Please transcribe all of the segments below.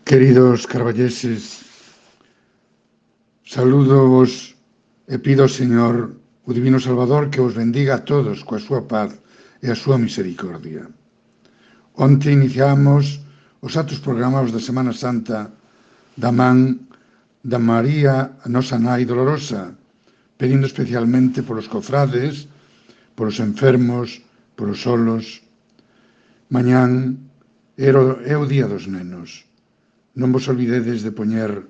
Queridos carballeses, salúdovos e pido ao Señor, o Divino Salvador, que os bendiga a todos coa súa paz e a súa misericordia. Onte iniciamos os actos programados da Semana Santa da man da María, a nosa Nai Dolorosa, pedindo especialmente polos cofrades, polos enfermos, polos solos. Mañán é o Día dos Nenos. Non vos olvidedes de poñer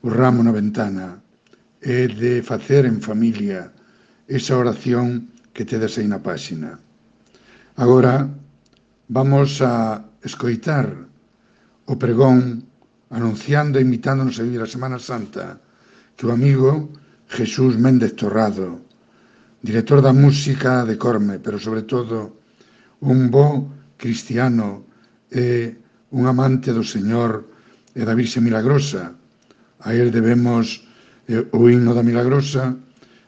o ramo na ventana e de facer en familia esa oración que tedes aí na páxina. Agora vamos a escoitar o pregón anunciando e invitándonos a vivir a Semana Santa que o amigo Jesús Méndez Torrado, director da música de Corme, pero sobre todo un bo cristiano e un amante do Señor e da Virxe Milagrosa. A él debemos o himno da Milagrosa,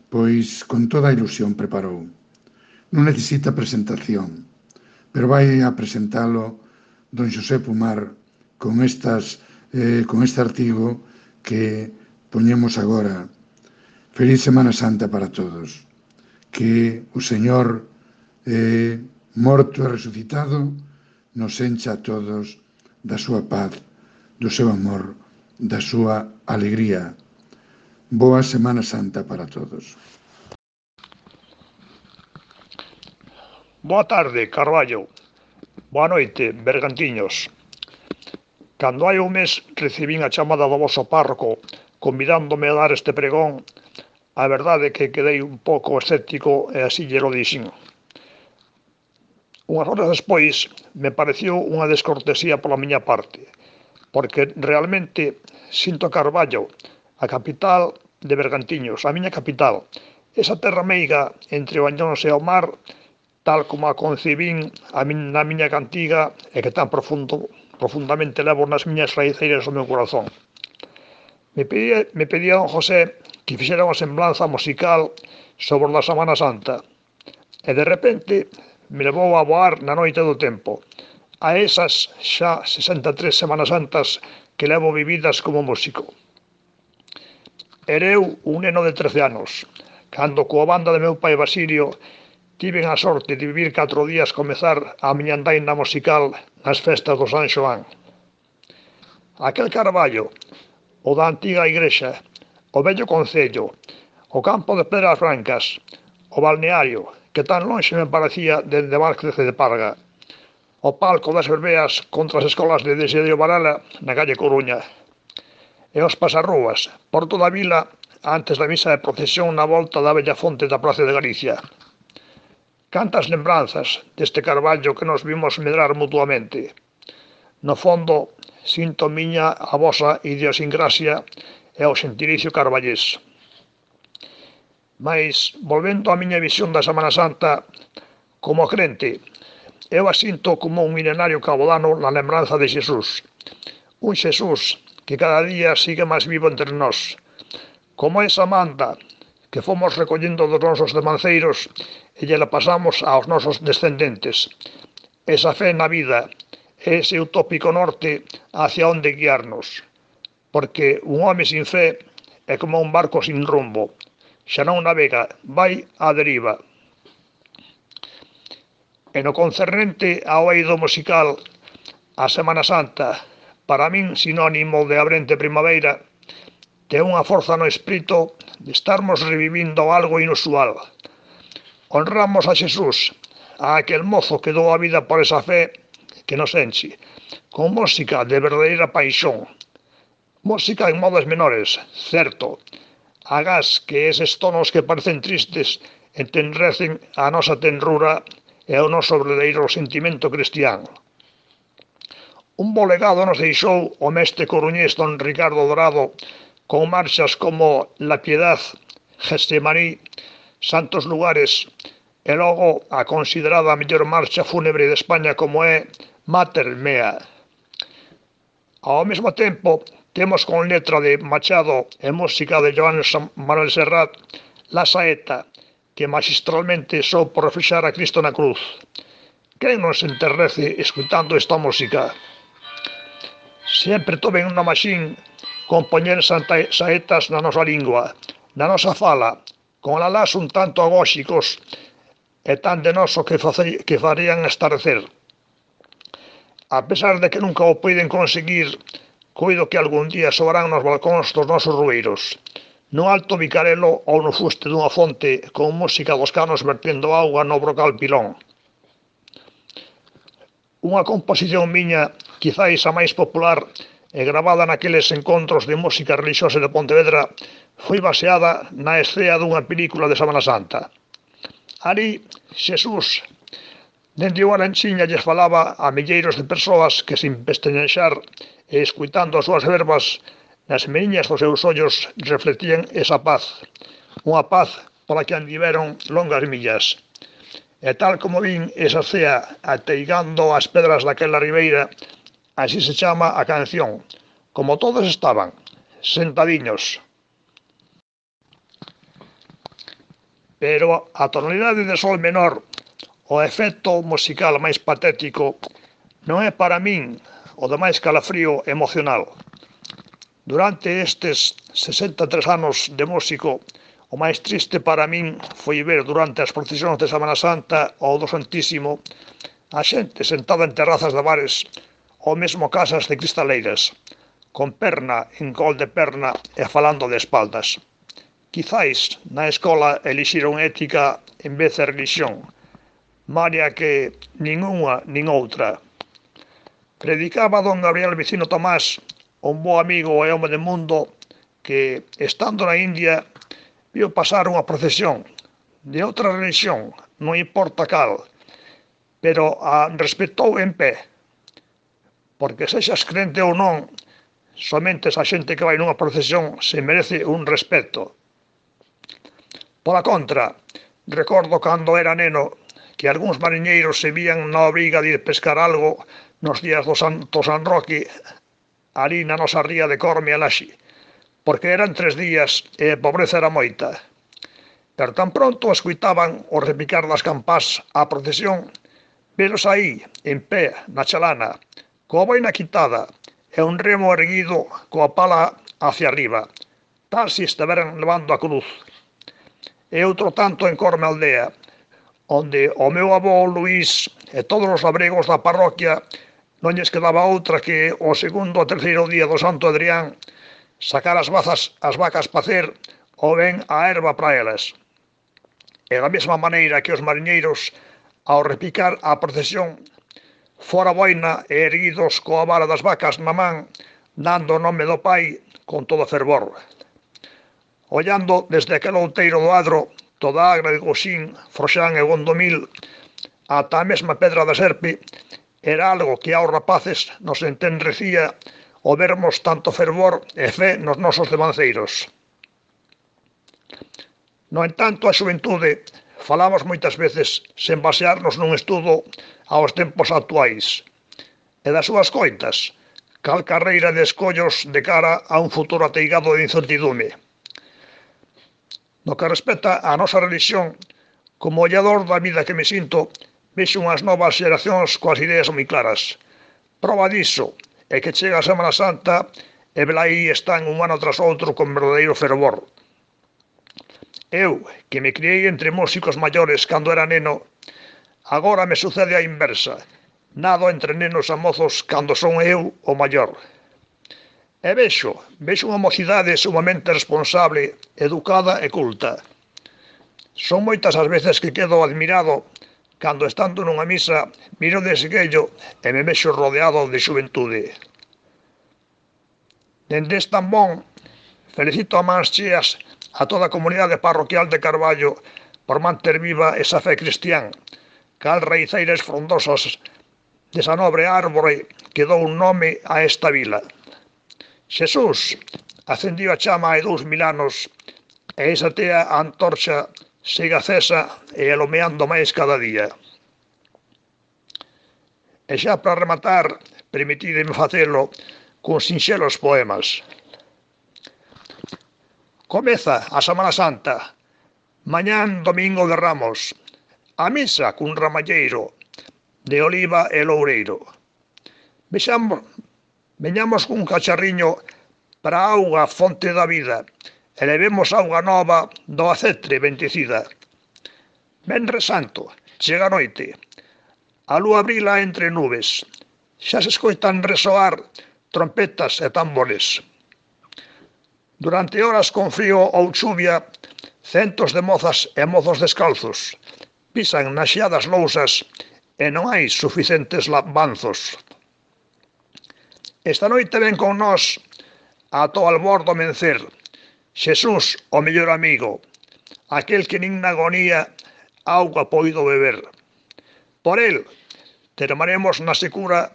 pois con toda a ilusión preparou. Non necesita presentación, pero vai a presentalo don Xosé Pumar con este artigo que poñemos agora. Feliz Semana Santa para todos. Que o Señor morto e resucitado nos encha a todos da súa paz, do seu amor, da súa alegría. Boa Semana Santa para todos. Boa tarde, Carballo. Boa noite, Bergantiños. Cando hai un mes recibín a chamada do voso párroco convidándome a dar este pregón, a verdade é que quedei un pouco escéptico e así lle lo dixen. Unhas horas despois me pareceu unha descortesía pola miña parte, porque realmente sinto Carballo, a capital de Bergantiños, a miña capital, esa terra meiga entre o Añóns e o mar, tal como a concibín na miña cantiga e que tan profundamente levo nas miñas raiceiras do meu corazón. Me pedía don José que fixera unha semblanza musical sobre a Semana Santa e de repente me levou a voar na noite do tempo a esas xa 63 Semanas Santas que levo vividas como músico. Era eu un neno de 13 anos, cando coa banda de meu pai Basilio tiven a sorte de vivir 4 días comezar a miña andaina musical nas festas do San Xoán. Aquel Carballo, o da antiga igrexa, o vello concello, o campo de Pedras Brancas, o balneario, que tan lonxe me parecía dende Márquez de Parga, o palco das verbeas contra as escolas de Desiderio Varela na calle Coruña, e os pasarrúas por toda a vila antes da misa de procesión na volta da bella fonte da Praza de Galicia. Cantas lembranzas deste Carballo que nos vimos medrar mutuamente. No fondo, sinto miña a vosa idiosincrasia e o xentilicio carballés. Mais, volvendo á miña visión da Semana Santa, como crente, eu a sinto como un milenario cabodano na lembranza de Xesús. Un Xesús que cada día sigue máis vivo entre nós. Como esa manda que fomos recollendo dos nosos demanceiros e lle la pasamos aos nosos descendentes. Esa fe na vida, ese utópico norte hacia onde guiarnos. Porque un home sin fe é como un barco sin rumbo. Xa non navega, vai á deriva. E no concernente ao eido musical, a Semana Santa, para min sinónimo de abrente primavera, ten unha forza no espírito de estarmos revivindo algo inusual. Honramos a Xesús, a aquel mozo que dou a vida por esa fe que nos enche, con música de verdadeira paixón. Música en modos menores, certo, agás que eses tonos que parecen tristes entendrecen a nosa tenrura e o noso verdadeiro sentimento cristián. Un bo legado nos deixou o mestre coruñés don Ricardo Dorado con marchas como La Piedad, Getsemaní, Santos Lugares e logo a considerada a mellor marcha fúnebre de España como é Mater Mea. Ao mesmo tempo, temos con letra de Machado e música de Joan Manuel Serrat La Saeta, que magistralmente soupo reflexar a Cristo na cruz. Quen non se enternece escutando esta música? Sempre tomen unha maxín compoñer saetas na nosa lingua, na nosa fala, con alás un tanto agóxicos e tan de noso que farían estarecer. A pesar de que nunca o poden conseguir, coido que algún día soarán nos balcóns dos nosos rueiros, no alto bicarelo ou no fuste dunha fonte con música dos canos vertendo auga no brocal pilón. Unha composición miña, quizáis a máis popular e gravada naqueles encontros de música religiosa de Pontevedra, foi baseada na escena dunha película de Semana Santa. Ali, Xesús, dende unha lanchiña lles falaba a milleiros de persoas que, sin pestañexar e escuitando as súas verbas, nas meriñas dos seus ollos reflectían esa paz, unha paz pola que andiveron longas millas. E tal como vin esa cea ateigando as pedras daquela ribeira, así se chama a canción, como todos estaban, sentadiños. Pero a tonalidade de sol menor, o efecto musical máis patético, non é para min o de máis calafrío emocional. Durante estes 63 anos de músico, o máis triste para min foi ver durante as procesións de Semana Santa ou do Santísimo a xente sentada en terrazas de bares ou mesmo casas de cristaleiras, con perna en col de perna e falando de espaldas. Quizáis na escola elixiron ética en vez de religión, malia que nin unha nin outra. Predicaba don Gabriel Vicino Tomás, un bo amigo e home de mundo, que, estando na India, viu pasar unha procesión de outra religión, non importa cal, pero a respetou en pé, porque sexas crente ou non, somente esa xente que vai nunha procesión se merece un respeto. Pola contra, recordo cando era neno que algúns mariñeiros se vían na obriga de ir pescar algo nos días do San Roque, ali na nosa ría de Corme e Laxe, porque eran 3 días e a pobreza era moita. Pero tan pronto escuitaban o repicar das campás á procesión, velos aí, en pé, na chalana, coa boina quitada e un remo erguido coa pala hacia arriba, tal se estiveran levando a cruz. E outro tanto en Corme aldea, onde o meu avó Luís e todos os labregos da parroquia non lles quedaba outra que o segundo ou terceiro día do Santo Adrián sacar as vacas pacer ou ben a erva para elas. E da mesma maneira que os mariñeiros, ao repicar a procesión, fora boina e erguidos coa vara das vacas na man, dando o nome do Pai con todo fervor. Ollando desde aquel outeiro do Adro, toda a Agra de Goxín, Froxán e Gondomil, ata a mesma Pedra da Serpe, era algo que aos rapaces nos entenrecía o vermos tanto fervor e fe nos nosos devanceiros. No entanto, a xuventude falamos moitas veces sen basearnos nun estudo aos tempos actuais e das súas coitas, cal carreira de escollos de cara a un futuro ateigado de incertidume. No que respecta á nosa religión, como ollador da vida que me sinto, vexo unhas novas xeracións coas ideas moi claras. Proba diso é que chega a Semana Santa e velaí están un ano tras outro con verdadeiro fervor. Eu, que me criei entre músicos maiores cando era neno, agora me sucede a inversa. Nado entre nenos e mozos cando son eu o maior. E vexo unha mocidade sumamente responsable, educada e culta. Son moitas as veces que quedo admirado cando, estando nunha misa, miro de esguello e me vexo rodeado de xuventude. Dende Estambón, felicito a mans cheas a toda a comunidade parroquial de Carballo por manter viva esa fe cristián, cal raízeiras frondosas desa nobre árbore que dou un nome a esta vila. Xesús acendiu a chama hai 2000 anos e esa tea a antorxa siga acesa e alumeando máis cada día. E xa para rematar, permitideme facelo con sinxelos poemas. Comeza a Semana Santa, mañán domingo de Ramos, a misa cun ramalleiro de oliva e loureiro. Veñamos cun cacharriño para a auga fonte da vida e levemos auga nova do acetre bendecida. Venres Santo, chega a noite, a lúa brila entre nubes, xa se escoitan resoar trompetas e tambores. Durante horas con frío ou chuvia, centos de mozas e mozos descalzos pisan nas xeadas lousas e non hai suficientes banzos. Esta noite ven con nós ata o albor do mencer, Xesús, o mellor amigo, aquel que nin na agonía auga poido beber. Por el termaremos na secura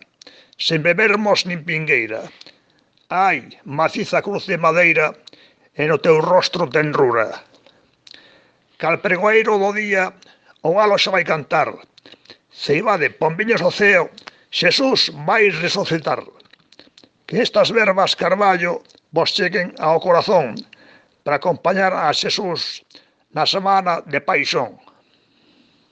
sen bebermos nin pingueira. Ai, maciza cruz de madeira e no teu rostro tenrura. Cal pregoeiro do día o galo xa vai cantar. Ceibade, pombiños do ceo, Xesús vai resucitar. Que estas verbas, Carballo, vos cheguen ao corazón para acompañar a Xesús na semana de paixón.